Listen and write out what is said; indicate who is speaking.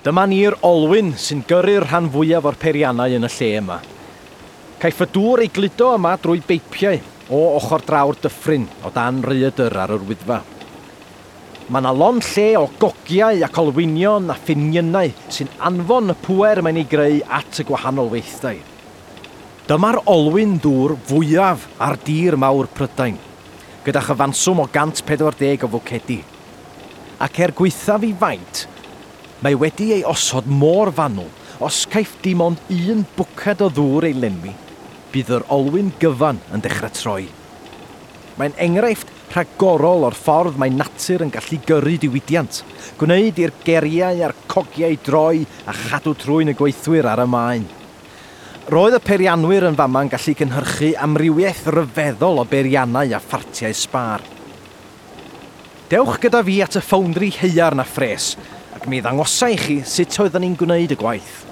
Speaker 1: Dyma ni'r olwyn sy'n gyrru'r rhan fwyaf o'r peiriannau yn y lle yma. Caiff y dŵr ei gludo yma drwy beipiau o ochr draw'r dyffryn o dan rhaeadr ar yr Wyddfa. Mae 'na lond lle o gogiau ac olwynion a phiniynau sy'n anfon y pŵer mae'n ei greu at y gwahanol weithdai. Dyma'r olwyn dŵr fwyaf ar dir mawr Prydain, gyda chyfanswm o 140 o fwcedi. Ac er gwaethaf ei faint, mae wedi ei osod mor fanwl, os caiff dim ond un bwced o ddŵr ei lenwi, bydd yr olwyn gyfan yn dechrau troi. Mae'n enghraifft rhagorol o'r ffordd mae natur yn gallu gyrru diwydiant, gwneud i'r geriau a'r cogiau droi a chadw trwyn y gweithwyr ar y maen. Roedd y peirianwyr yn fama'n gallu cynhyrchu amrywiaeth ryfeddol o beiriannau a phartiau sbâr. Dewch gyda fi at y ffowndri haearn a phres, ac mi ddangosa i chi sut oedden ni'n gwneud y gwaith.